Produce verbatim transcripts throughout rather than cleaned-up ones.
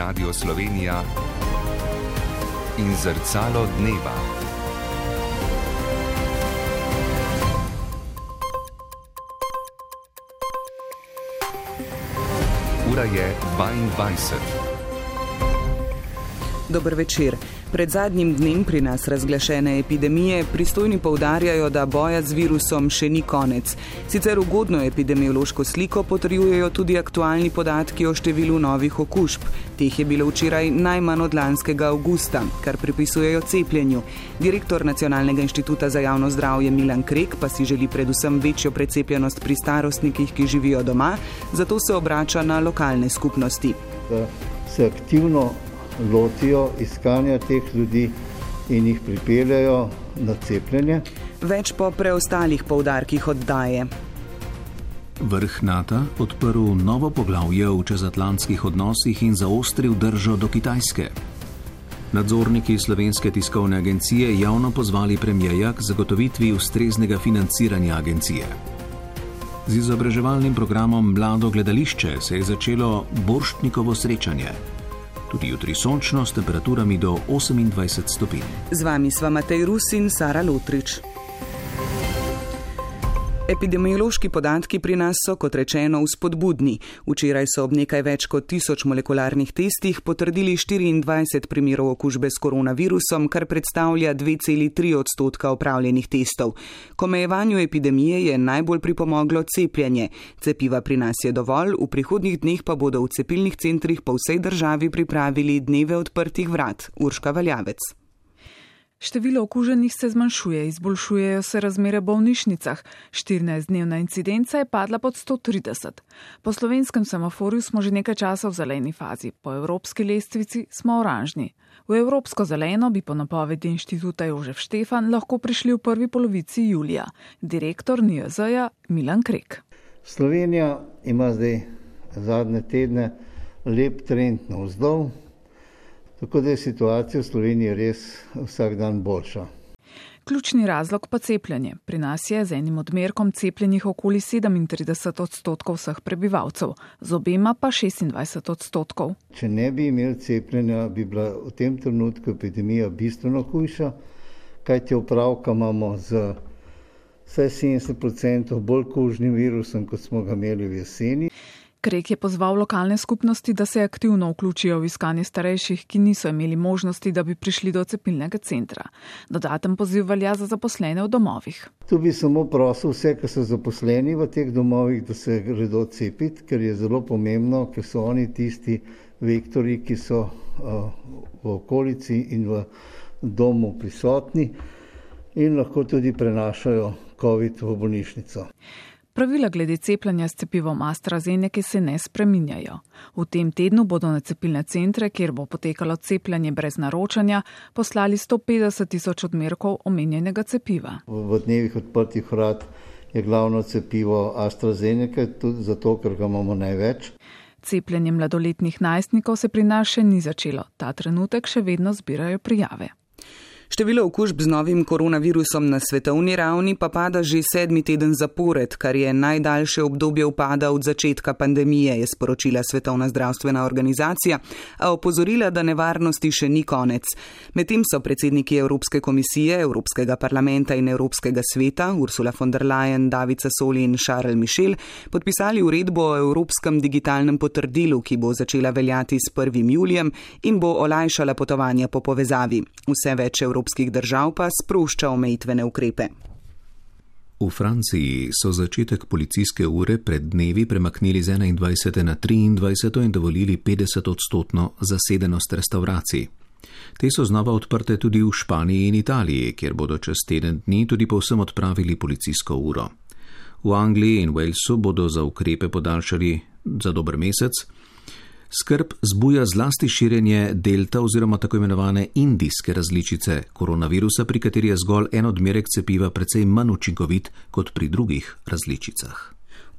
Radio Slovenija in Zrcalo dneva. Ura je dvaindvajset. Dober večer. Pred zadnjim dnem pri nas razglašene epidemije pristojni poudarjajo, da boja z virusom še ni konec. Sicer ugodno epidemiološko sliko potrjujejo tudi aktualni podatki o številu novih okužb. Teh je bilo včeraj najmanj od lanskega avgusta, kar pripisujejo cepljenju. Direktor Nacionalnega inštituta za javno zdravje Milan Krek pa si želi predvsem večjo precepljenost pri starostnikih, ki živijo doma, zato se obrača na lokalne skupnosti. Da se aktivno lotijo iskanja teh ljudi in jih pripeljajo na cepljenje. Več po preostalih poudarkih oddaje. Vrh NATO odprl novo poglavje v čezatlantskih odnosih in zaostril držo do Kitajske. Nadzorniki Slovenske tiskovne agencije javno pozvali premierja k zagotovitvi ustreznega financiranja agencije. Z izobraževalnim programom Mlado gledališče se je začelo Borštnikovo srečanje. Tudi jutri sončno s temperaturami do osemindvajset stopinj. Z vami sva Matej Rus in Sara Lotrič. Epidemiološki podatki pri nas so, kot rečeno, vzpodbudni. Včeraj so ob nekaj več kot tisoč molekularnih testih potrdili štiriindvajset primerov okužbe s koronavirusom, kar predstavlja dve celi tri odstotka opravljenih testov. K omejevanju epidemije je najbolj pripomoglo cepljenje. Cepiva pri nas je dovolj, v prihodnjih dneh pa bodo v cepilnih centrih po vsej državi pripravili dneve odprtih vrat. Urška Valjavec. Število okuženih se zmanjšuje, izboljšujejo se razmere v bolnišnicah. štirinajstdnevna incidenca je padla pod sto trideset. Po slovenskem semaforju smo že nekaj časa v zeleni fazi, po evropski lestvici smo oranžni. V evropsko zeleno bi po napovedi inštituta Jožef Štefan lahko prišli v prvi polovici julija. Direktor N I J Z-ja Milan Krek. Slovenija ima zdaj zadnje tedne lep trend navzdol. Tako da je situacija v Sloveniji res vsak dan boljša. Ključni razlog pa cepljenje. Pri nas je z enim odmerkom cepljenih okoli sedemintrideset odstotkov vseh prebivalcev, z obema pa šestindvajset odstotkov. Če ne bi imeli cepljenja, bi bila v tem trenutku epidemija bistveno hujša, kajti opravka imamo z vsaj sedemdeset odstotkov bolj kužnim virusom, kot smo ga imeli v jeseni. Krek je pozval lokalne skupnosti, da se aktivno vključijo v iskanje starejših, ki niso imeli možnosti, da bi prišli do cepilnega centra. Dodaten poziv velja za zaposlene v domovih. Tu bi samo prosil vse, ki so zaposleni v teh domovih, da se gredo cepiti, ker je zelo pomembno, ker so oni tisti vektori, ki so uh, v okolici in v domu prisotni in lahko tudi prenašajo COVID v bolnišnico. Pravila glede cepljenja s cepivom AstraZeneca se ne spreminjajo. V tem tednu bodo na cepilne centre, kjer bo potekalo cepljenje brez naročanja, poslali sto petdeset tisoč odmerkov omenjenega cepiva. V dnevih odprtih vrat je glavno cepivo AstraZeneca, tudi zato, ker ga imamo največ. Cepljenje mladoletnih najstnikov se pri nas še ni začelo. Ta trenutek še vedno zbirajo prijave. Število okužb z novim koronavirusom na svetovni ravni pa pada že sedmi teden zapored, kar je najdaljše obdobje upada od začetka pandemije, je sporočila Svetovna zdravstvena organizacija, a opozorila, da nevarnosti še ni konec. Medtem so predsedniki Evropske komisije, Evropskega parlamenta in Evropskega sveta, Ursula von der Leyen, David Sassoli in Charles Michel, podpisali uredbo o Evropskem digitalnem potrdilu, ki bo začela veljati s prvim julijem in bo olajšala potovanja po povezavi. Vse več evropskih držav pa sprošča omejitvene ukrepe. V Franciji so začetek policijske ure pred dnevi premaknili z enaindvajsete na triindvajseto in dovolili petdeset odstotno zasedenost restavracij. Te so znova odprte tudi v Španiji in Italiji, kjer bodo čez teden dni tudi povsem odpravili policijsko uro. V Angliji in Walesu bodo za ukrepe podaljšali za dober mesec. Skrb zbuja zlasti širjenje delta oziroma tako imenovane indijske različice koronavirusa, pri kateri je zgolj en odmerek cepiva precej manj učinkovit kot pri drugih različicah.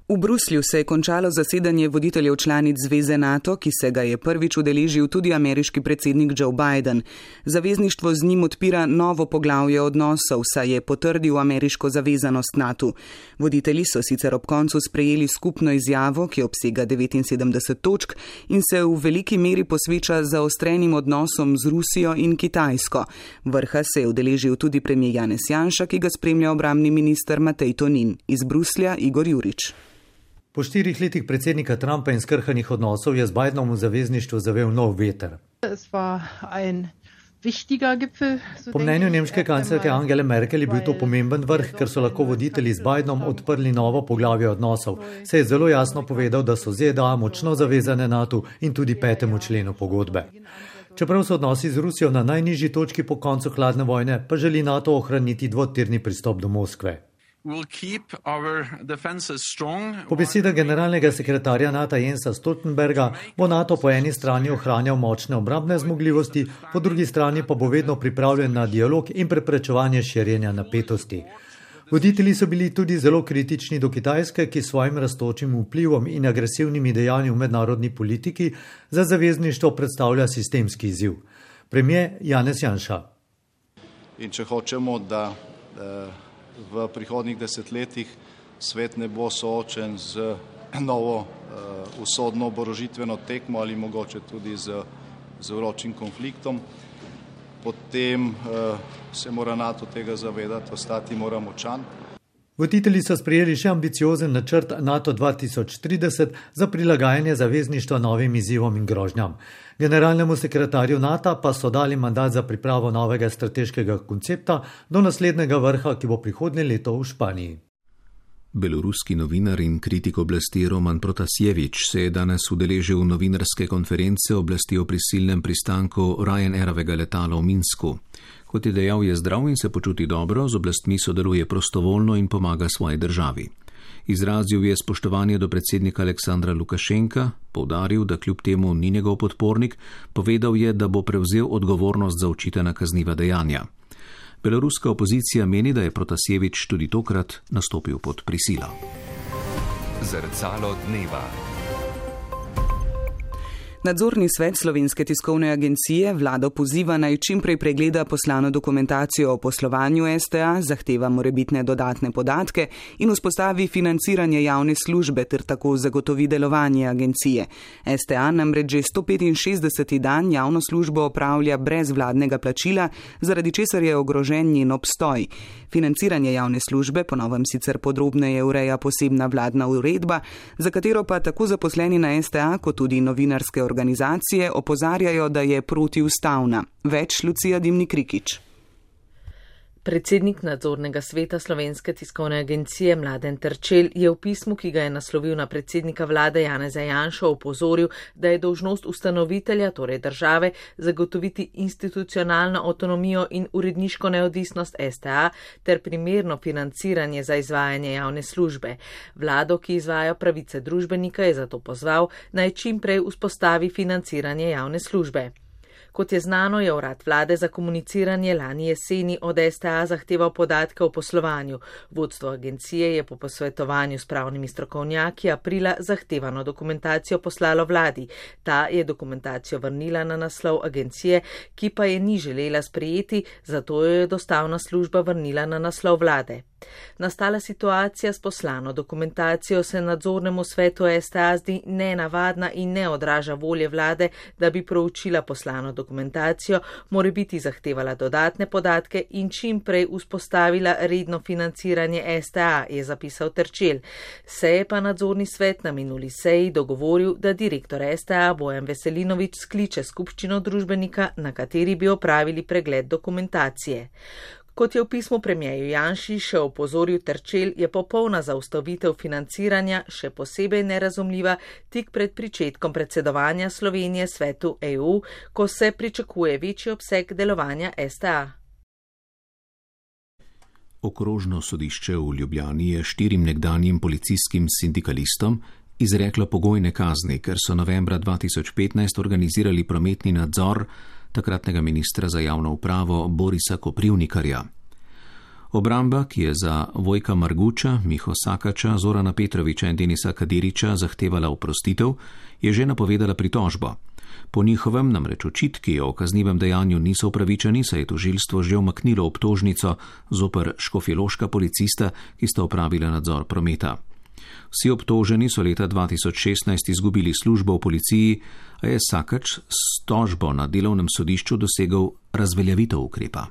V Bruslju se je končalo zasedanje voditeljev članic Zveze NATO, ki se ga je prvič udeležil tudi ameriški predsednik Joe Biden. Zavezništvo z njim odpira novo poglavje odnosov, saj je potrdil ameriško zavezanost NATO. Voditelji so sicer ob koncu sprejeli skupno izjavo, ki obsega devetinsedemdeset točk in se v veliki meri posveča zaostrenim odnosom z Rusijo in Kitajsko. Vrha se je udeležil tudi premijer Janez Janša, ki ga spremlja obrambni minister Matej Tonin. Iz Bruslja Igor Jurič. Po štirih letih predsednika Trumpa in skrhanih odnosov je z Bidenom v zavezništvu zavel nov veter. Po mnenju nemške kanclerke Angele Merkel je bil to pomemben vrh, ker so lahko voditelji z Bidenom odprli novo poglavje odnosov. Se je zelo jasno povedal, da so Z D A močno zavezane NATO in tudi petemu členu pogodbe. Čeprav so odnosi z Rusijo na najnižji točki po koncu hladne vojne, pa želi NATO ohraniti dvotirni pristop do Moskve. Po besedah generalnega sekretarja NATO Jensa Stoltenberga bo NATO po eni strani ohranjal močne obrambne zmogljivosti, po drugi strani pa bo vedno pripravljen na dialog in preprečevanje širjenja napetosti. Voditelji so bili tudi zelo kritični do Kitajske, ki svojim rastočim vplivom in agresivnimi dejanji v mednarodni politiki za zavezništvo predstavlja sistemski izziv. Premijer Janez Janša. In če hočemo, da v prihodnjih desetletjih svet ne bo soočen z novo usodno oborožitveno tekmo ali mogoče tudi z, z vročim konfliktom, potem se mora NATO tega zavedati, ostati mora močan. Voditelji so sprejeli še ambiciozen načrt NATO dva tisoč trideset za prilagajanje zavezništva novim izzivom in grožnjam. Generalnemu sekretarju NATO pa so dali mandat za pripravo novega strateškega koncepta do naslednjega vrha, ki bo prihodnje leto v Španiji. Beloruski novinar in kritik oblasti Roman Protasjevič se je danes udeležil novinarske konference oblasti o prisilnem pristanku Ryanairovega letala v Minsku. Kot je dejal, je zdrav in se počuti dobro, z oblastmi sodeluje prostovoljno in pomaga svoji državi. Izrazil je spoštovanje do predsednika Aleksandra Lukašenka, poudaril, da kljub temu ni njegov podpornik, povedal je, da bo prevzel odgovornost za očitana kazniva dejanja. Beloruska opozicija meni, da je Protasjevič tudi tokrat nastopil pod prisilo. Zrcalo dneva. Nadzorni svet Slovenske tiskovne agencije vlado poziva naj čimprej pregleda poslano dokumentacijo o poslovanju S T A, zahteva morebitne dodatne podatke in vzpostavi financiranje javne službe ter tako zagotovi delovanje agencije. S T A namreč že sto petinšestdeseti dan javno službo opravlja brez vladnega plačila, zaradi česar je ogrožen njen obstoj. Financiranje javne službe po novem sicer podrobneje ureja posebna vladna uredba, za katero pa tako zaposleni na S T A kot tudi novinarske organizacije opozarjajo, da je protiustavna. Več Lucija Dimnik-Rikić. Predsednik nadzornega sveta Slovenske tiskovne agencije Mladen Terčelj je v pismu, ki ga je naslovil na predsednika vlade Janeza Janšo, opozoril, da je dolžnost ustanovitelja, torej države, zagotoviti institucionalno avtonomijo in uredniško neodvisnost S T A ter primerno financiranje za izvajanje javne službe. Vlado, ki izvaja pravice družbenika, je zato pozval, naj čim prej vzpostavi financiranje javne službe. Kot je znano, je urad vlade za komuniciranje lani jeseni od S T A zahteval podatke o poslovanju. Vodstvo agencije je po posvetovanju s pravnimi strokovnjaki aprila zahtevano dokumentacijo poslalo vladi. Ta je dokumentacijo vrnila na naslov agencije, ki pa je ni želela sprejeti, zato jo je dostavna služba vrnila na naslov vlade. Nastala situacija s poslano dokumentacijo se nadzornemu svetu S T A zdi nenavadna in ne odraža volje vlade, da bi proučila poslano dokumentacijo, morebiti zahtevala dodatne podatke in čim prej vzpostavila redno financiranje S T A, je zapisal Terčelj. Se je pa nadzorni svet na minuli seji dogovoril, da direktor S T A Bojan Veselinović skliče skupščino družbenika, na kateri bi opravili pregled dokumentacije. Kot je v pismu premijeju Janši še opozoril Terčelj, je popolna zaustavitev financiranja še posebej nerazumljiva tik pred pričetkom predsedovanja Slovenije svetu E U, ko se pričakuje večji obseg delovanja S T A. Okrožno sodišče v Ljubljani je štirim nekdanjim policijskim sindikalistom izreklo pogojne kazni, ker so novembra dva tisoč petnajst organizirali prometni nadzor takratnega ministra za javno upravo Borisa Koprivnikarja. Obramba, ki je za Vojka Marguča, Miho Sakača, Zorana Petroviča in Denisa Kadiriča zahtevala oprostitev, je že napovedala pritožbo. Po njihovem namreč očitki o kaznivem dejanju niso upravičeni, saj je tožilstvo že umaknilo obtožnico zoper škofjeloška policista, ki sta opravila nadzor prometa. Vsi obtoženi so leta dva tisoč šestnajst izgubili službo v policiji, a je Sakač s tožbo na delovnem sodišču dosegel razveljavitev ukrepa.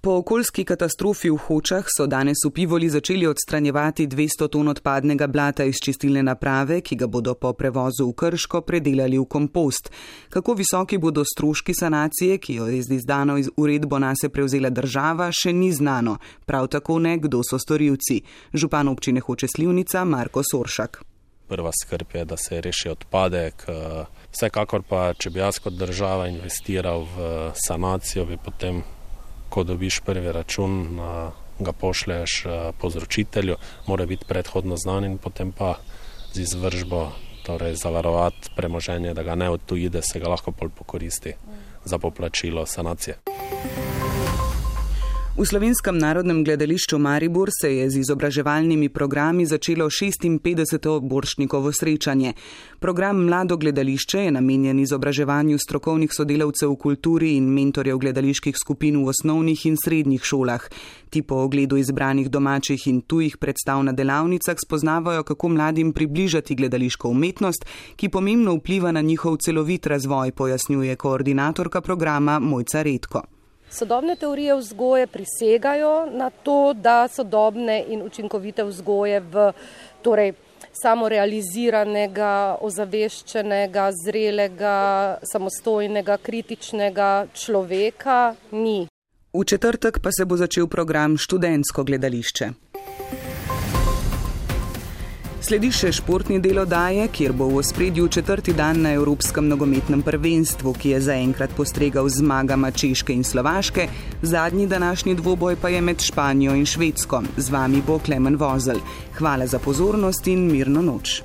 Po okoljski katastrofi v Hočah so danes v Pivoli začeli odstranjevati dvesto ton odpadnega blata iz čistilne naprave, ki ga bodo po prevozu v Krško predelali v kompost. Kako visoki bodo stroški sanacije, ki jo je z izdano uredbo nase prevzela država, še ni znano. Prav tako ne, kdo so storilci. Župan občine Hoče Slivnica Marko Soršak. Prva skrb je, da se reši odpadek. Vsekakor pa, če bi jaz kot država investiral v sanacijo, bi potem, ko dobiš prvi račun, ga pošleš povzročitelju, mora biti predhodno znan in potem pa z izvržbo, torej zavarovati premoženje, da ga ne odtuji, da se ga lahko pol pokoristi za poplačilo sanacije. V Slovenskem narodnem gledališču Maribor se je z izobraževalnimi programi začelo šestinpetdeseto Borštnikovo srečanje. Program Mlado gledališče je namenjen izobraževanju strokovnih sodelavcev v kulturi in mentorjev gledaliških skupin v osnovnih in srednjih šolah. Ti po ogledu izbranih domačih in tujih predstav na delavnicah spoznavajo, kako mladim približati gledališko umetnost, ki pomembno vpliva na njihov celovit razvoj, pojasnjuje koordinatorka programa Mojca Redko. Sodobne teorije vzgoje prisegajo na to, da sodobne in učinkovite vzgoje v torej, samorealiziranega, ozaveščenega, zrelega, samostojnega, kritičnega človeka ni. V četrtek pa se bo začel program Študentsko gledališče. Sledi še športni del oddaje, kjer bo v ospredju četrti dan na Evropskem nogometnem prvenstvu, ki je zaenkrat postregal z zmagama Češke in Slovaške, zadnji današnji dvoboj pa je med Španijo in Švedsko. Z vami bo Klemen Vozelj. Hvala za pozornost in mirno noč.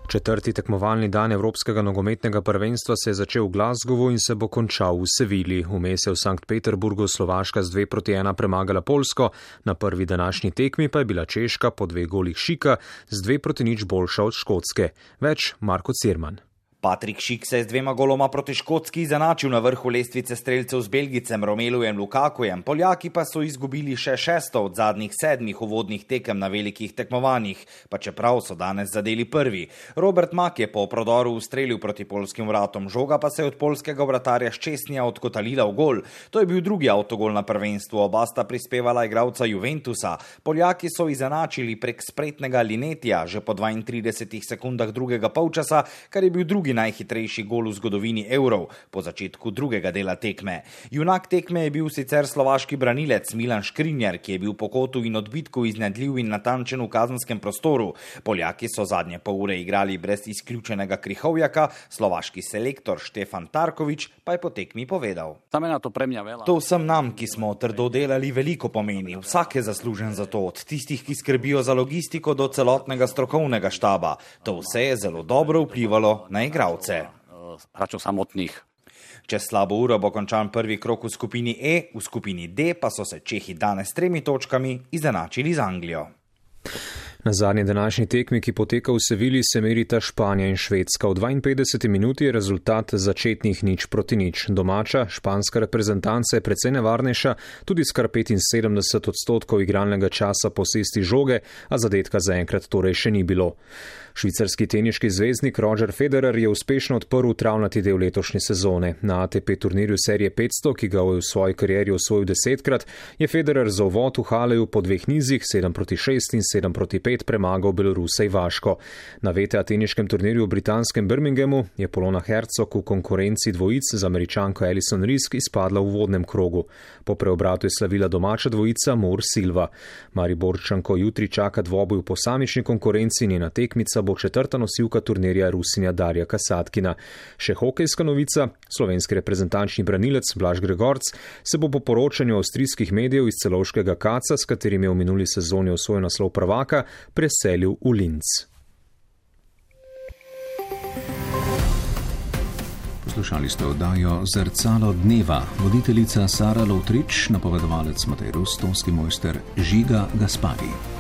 Četrti tekmovalni dan Evropskega nogometnega prvenstva se je začel v Glasgowu in se bo končal v Sevili. Vmes je v Sankt Peterburgu Slovaška z dve proti ena premagala Poljsko, na prvi današnji tekmi pa je bila Češka po dveh golih Šika z dve proti nič boljša od Škotske. Več Marko Cirman. Patrik Šik se je z dvema goloma proti Škotski izenačil na vrhu lestvice strelcev z Belgicem Romelujem Lukakujem, Poljaki pa so izgubili še šesto od zadnjih sedmih uvodnih tekem na velikih tekmovanjih, pa čeprav so danes zadeli prvi. Robert Mak je po prodoru ustrelil proti poljskim vratom, žoga pa se je od poljskega vratarja Ščesnija odkotalila v gol. To je bil drugi avtogol na prvenstvu, oba sta prispevala igralca Juventusa. Poljaki so izenačili prek spretnega Linetija že po dvaintridesetih sekundah drugega polčasa, kar je bil drugi najhitrejši gol v zgodovini evrov po začetku drugega dela tekme. Junak tekme je bil sicer slovaški branilec Milan Škrinjar, ki je bil po kotu in odbitku iznajdljiv in natančen v kazenskem prostoru. Poljaki so zadnje pol ure igrali brez izključenega Krihovjaka, slovaški selektor Štefan Tarkovič pa je po tekmi povedal. To vsem nam, ki smo trdo delali, veliko pomeni. Vsak je zaslužen za to, od tistih, ki skrbijo za logistiko do celotnega strokovnega štaba. To vse je zelo dobro vplivalo na igralce. Čez slabo uro bo končan prvi krog v skupini E, v skupini D pa so se Čehi danes s tremi točkami izenačili z Anglijo. Na zadnji današnji tekmi, ki poteka v Sevili, se merita Španija in Švedska. V dvainpetdeseti minuti je rezultat začetnih nič proti nič. Domača španska reprezentanca je precej nevarnejša, tudi s kar petinsedemdeset odstotkov igralnega časa posesti žoge, a zadetka zaenkrat torej še ni bilo. Švicarski teniški zvezdnik Roger Federer je uspešno odprl travnati del letošnje sezone. Na A T P turnirju serije petsto, ki ga je v svoji karieri osvojil desetkrat, je Federer za uvod v Haleju po dveh nizih sedem proti šest in sedem proti pet premagal Belorusa Ivaško. Na V T A teniškem turnirju v britanskem Birminghamu je Polona Hercog v konkurenci dvojic z Američanko Alison Risk izpadla v uvodnem krogu. Po preobratu je slavila domača dvojica Moore Silva. Mariborčanko jutri čaka dvoboj v posamični konkurenci, njena tekmica bo četrta nosilka turnirja Rusinja Darja Kasatkina. Še hokejska novica, slovenski reprezentančni branilec Blaž Gregorc se bo po poročanju avstrijskih medijev iz celovškega Kaca, s katerim je v minuli sezoni osvojil naslov prvaka, preselil v Linz. Poslušali ste oddajo Zrcalo dneva, voditeljica Sara Lovtrič, napovedovalec Matej Rus, tonski mojster Žiga Gaspari.